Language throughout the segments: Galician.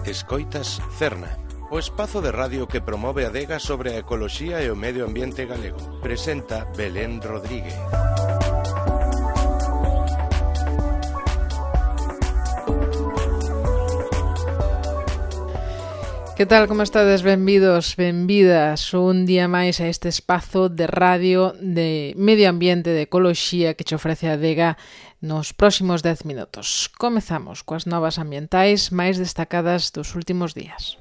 Escoitas Cerna, o espazo de radio que promove a adega sobre a ecoloxía e o medio ambiente galego. Presenta Belén Rodríguez. Que tal, como estades? Benvidos, benvidas un día máis a este espazo de radio de medio ambiente, de ecoloxía que che ofrece a adega nos próximos 10 minutos. Comezamos coas novas ambientais máis destacadas dos últimos días.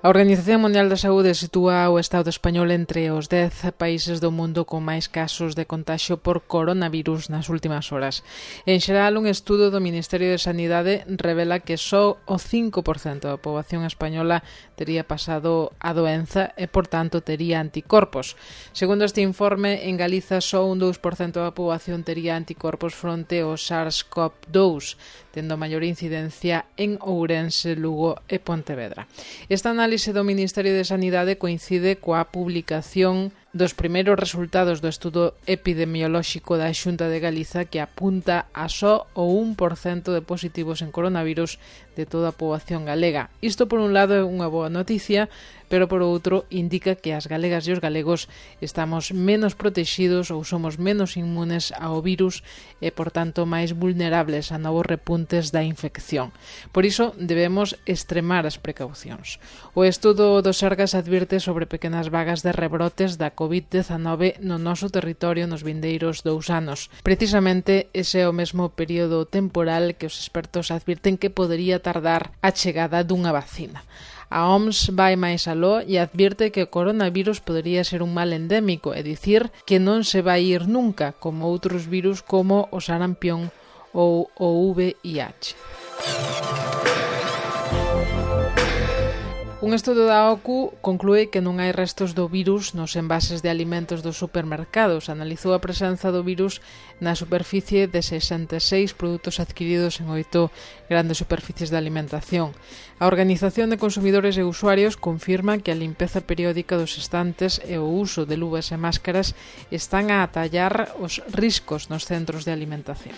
A Organización Mundial da Saúde sitúa o Estado español entre os 10 países do mundo con máis casos de contagio por coronavirus nas últimas horas. En xeral, un estudo do Ministerio de Sanidade revela que só o 5% da poboación española tería pasado a doenza e, por tanto, tería anticorpos. Segundo este informe, en Galiza só un 2% da poboación tería anticorpos fronte ao SARS-CoV-2, tendo maior incidencia en Ourense, Lugo e Pontevedra. Esta análise do Ministerio de Sanidade coincide coa publicación dos primeiros resultados do estudo epidemiolóxico da Xunta de Galiza, que apunta a só o 1% de positivos en coronavirus de toda a poboación galega. Isto, por un lado, é unha boa noticia, pero por outro indica que as galegas e os galegos estamos menos protexidos ou somos menos inmunes ao virus e, por tanto, máis vulnerables a novos repuntes da infección. Por iso, debemos extremar as precaucións. O estudo do Sergas advirte sobre pequenas vagas de rebrotes da COVID-19 no noso territorio nos vindeiros 2 anos. Precisamente ese é o mesmo período temporal que os expertos advirten que podería tardar a chegada dunha vacina. A OMS vai máis aló e advirte que o coronavirus podería ser un mal endémico, é dicir, que non se vai ir nunca, como outros virus como o sarampión ou o VIH. Un estudo da OCU conclúe que non hai restos do virus nos envases de alimentos dos supermercados. Analizou a presenza do virus na superficie de 66 produtos adquiridos en 8 grandes superficies de alimentación. A Organización de Consumidores e Usuarios confirma que a limpeza periódica dos estantes e o uso de luvas e máscaras están a atallar os riscos nos centros de alimentación.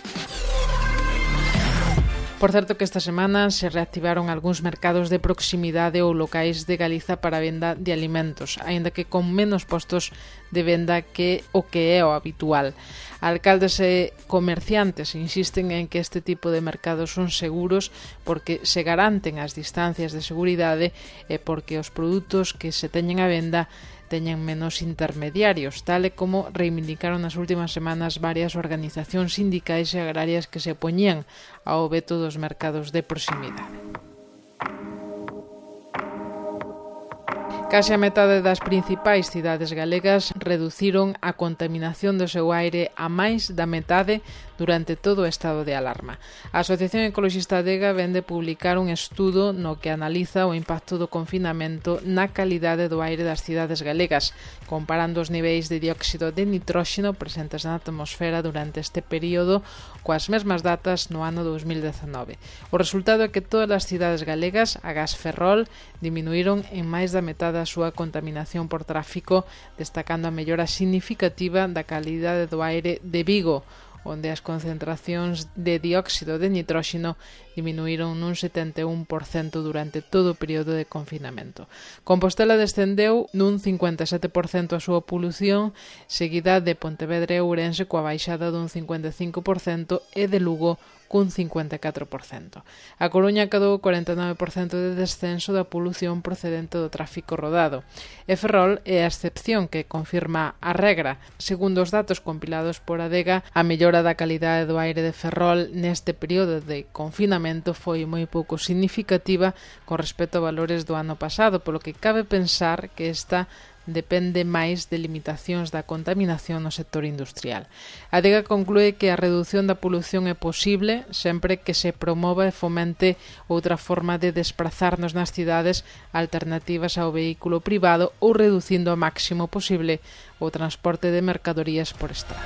Por certo que esta semana se reactivaron algúns mercados de proximidade ou locais de Galiza para a venda de alimentos, aínda que con menos postos de venda que o que é o habitual. Alcaldes e comerciantes insisten en que este tipo de mercados son seguros porque se garanten as distancias de seguridade e porque os produtos que se teñen a venda teñen menos intermediarios, tal e como reivindicaron nas últimas semanas varias organizacións sindicais e agrarias que se opoñían ao veto dos mercados de proximidade. Case a metade das principais cidades galegas reduciron a contaminación do seu aire a máis da metade durante todo o estado de alarma. A Asociación Ecoloxista Adega vén de publicar un estudo no que analiza o impacto do confinamento na calidade do aire das cidades galegas, comparando os niveis de dióxido de nitróxeno presentes na atmosfera durante este período coas mesmas datas no ano 2019. O resultado é que todas as cidades galegas, agás Ferrol, diminuíron en máis da metade a súa contaminación por tráfico, destacando a mellora significativa da calidade do aire de Vigo, onde as concentracións de dióxido de nitróxeno diminuíron nun 71% durante todo o período de confinamento. Compostela descendeu nun 57% a súa polución, seguida de Pontevedra e Ourense coa baixada dun 55% e de Lugo cun 54%. A Coruña cadou 49% de descenso da polución procedente do tráfico rodado. E Ferrol é a excepción que confirma a regra. Segundo os datos compilados por Adega, a mellora da calidade do aire de Ferrol neste período de confinamento foi moi pouco significativa con respecto a valores do ano pasado, polo que cabe pensar que esta depende máis de limitacións da contaminación no sector industrial. A Adega conclúe que a redución da polución é posible sempre que se promova e fomente outra forma de desplazarnos nas cidades alternativas ao vehículo privado ou reducindo ao máximo posible o transporte de mercadorías por estrada.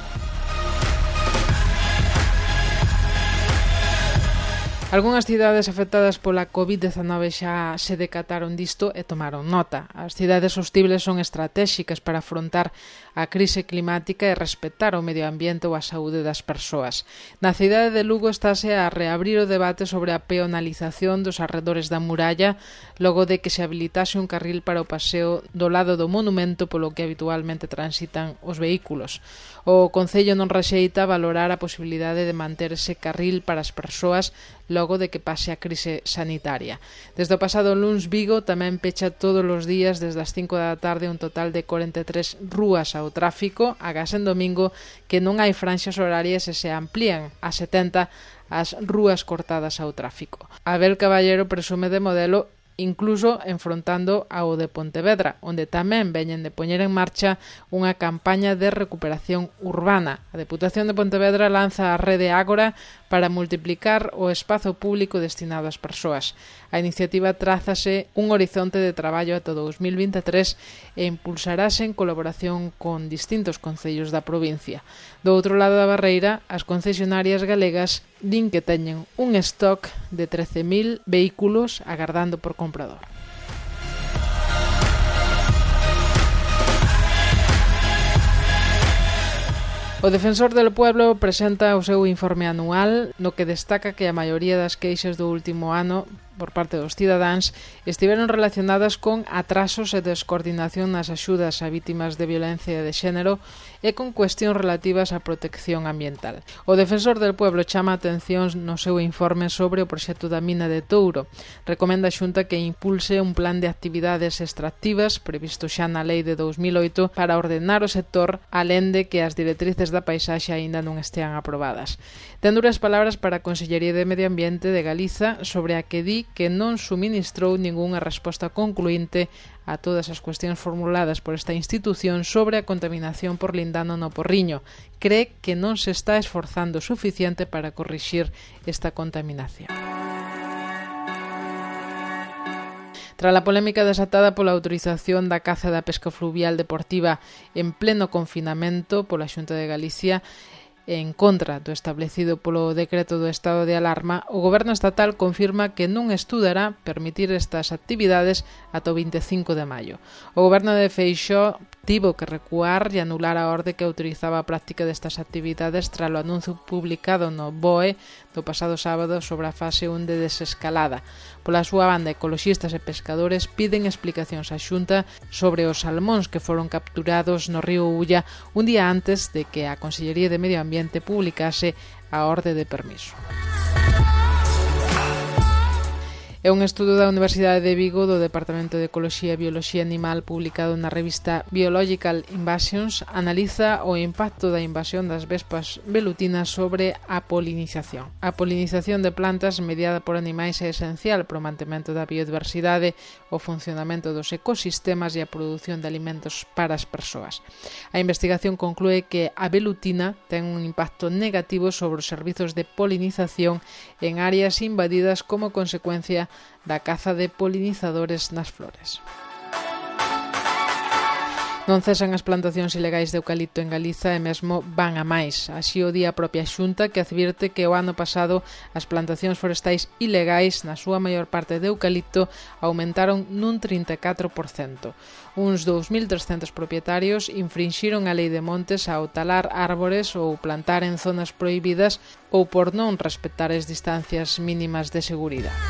Algunhas cidades afectadas pola COVID-19 xa se decataron disto e tomaron nota. As cidades sostibles son estratéxicas para afrontar a crise climática e respetar o medio ambiente ou a saúde das persoas. Na cidade de Lugo estáse a reabrir o debate sobre a peonalización dos arredores da muralla logo de que se habilitase un carril para o paseo do lado do monumento polo que habitualmente transitan os vehículos. O Concello non rexeita valorar a posibilidade de manter ese carril para as persoas logo de que pase a crise sanitaria. Desde o pasado luns, Vigo tamén pecha todos os días desde as 5 da tarde un total de 43 rúas ao tráfico, agás en domingo que non hai franxas horarias e se amplían a 70 as rúas cortadas ao tráfico. Abel Caballero presume de modelo incluso enfrontando ao de Pontevedra, onde tamén veñen de poñer en marcha unha campaña de recuperación urbana. A Deputación de Pontevedra lanza a rede Ágora para multiplicar o espazo público destinado ás persoas. A iniciativa trázase un horizonte de traballo ata 2023 e impulsarase en colaboración con distintos concellos da provincia. Do outro lado da barreira, as concesionarias galegas din que teñen un stock de 13.000 vehículos agardando por comprador. O Defensor del Pueblo presenta o seu informe anual no que destaca que a maioría das queixas do último ano por parte dos cidadáns estiveron relacionadas con atrasos e descoordinación nas axudas a vítimas de violencia de xénero e con cuestións relativas á protección ambiental. O Defensor del Pueblo chama a atención no seu informe sobre o proxecto da mina de Touro. Recomenda a Xunta que impulse un plan de actividades extractivas previsto xa na Lei de 2008 para ordenar o sector, alén de que as directrices da paisaxe aínda non estean aprobadas. Ten duras palabras para a Consellería de Medio Ambiente de Galiza sobre a que di que non suministrou ningunha resposta concluinte a todas as cuestións formuladas por esta institución sobre a contaminación por lindano no Porriño. Cree que non se está esforzando o suficiente para corrixir esta contaminación. Tras a polémica desatada pola autorización da caza da pesca fluvial deportiva en pleno confinamento pola Xunta de Galicia, en contra do establecido polo decreto do estado de alarma, o Goberno estatal confirma que non estudará permitir estas actividades ata o 25 de maio. O Goberno de Feixóo tivo que recuar e anular a orde que autorizaba a práctica destas actividades tras o anuncio publicado no BOE do pasado sábado sobre a fase 1 de desescalada. Pola súa banda, ecoloxistas e pescadores piden explicacións á Xunta sobre os salmóns que foron capturados no río Ulla un día antes de que a Consellería de Medio Ambiente publicase a orde de permiso. É un estudo da Universidade de Vigo do Departamento de Ecoloxía e Bioloxía Animal publicado na revista Biological Invasions analiza o impacto da invasión das vespas velutinas sobre a polinización. A polinización de plantas mediada por animais é esencial para o mantemento da biodiversidade, o funcionamento dos ecosistemas e a produción de alimentos para as persoas. A investigación conclúe que a velutina ten un impacto negativo sobre os servizos de polinización en áreas invadidas como consecuencia da caza de polinizadores nas flores. Non cesan as plantacións ilegais de eucalipto en Galiza e mesmo van a máis. Así o di a propia Xunta, que advirte que o ano pasado as plantacións forestais ilegais, na súa maior parte de eucalipto, aumentaron nun 34%. Uns 2.300 propietarios infrinxiron a lei de montes ao talar árbores ou plantar en zonas prohibidas ou por non respetar as distancias mínimas de seguridade.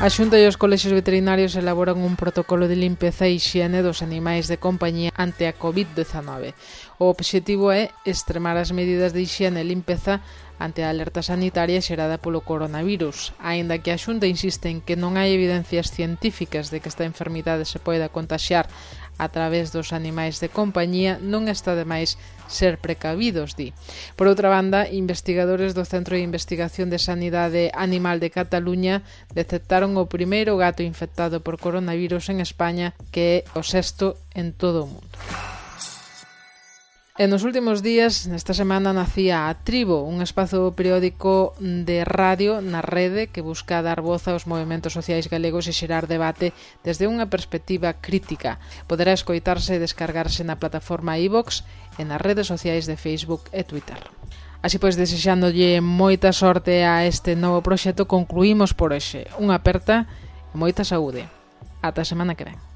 A Xunta e os colexios veterinarios elaboran un protocolo de limpeza e hixiene dos animais de compañía ante a COVID-19. O obxectivo é extremar as medidas de hixiene e limpeza ante a alerta sanitaria xerada polo coronavirus. Aínda que a Xunta insiste en que non hai evidencias científicas de que esta enfermidade se poida contaxiar a través dos animais de compañía, non está de máis ser precavidos, di. Por outra banda, investigadores do Centro de Investigación de Sanidade Animal de Cataluña detectaron o primeiro gato infectado por coronavirus en España, que é o sexto en todo o mundo. E nos últimos días, nesta semana, nacía a Tribo, un espazo periódico de radio na rede que busca dar voz aos movementos sociais galegos e xerar debate desde unha perspectiva crítica. Poderá escoitarse e descargarse na plataforma iVoox e nas redes sociais de Facebook e Twitter. Así pois, desexándolle moita sorte a este novo proxecto, concluímos por hoxe. Unha aperta e moita saúde. Ata a semana que ven.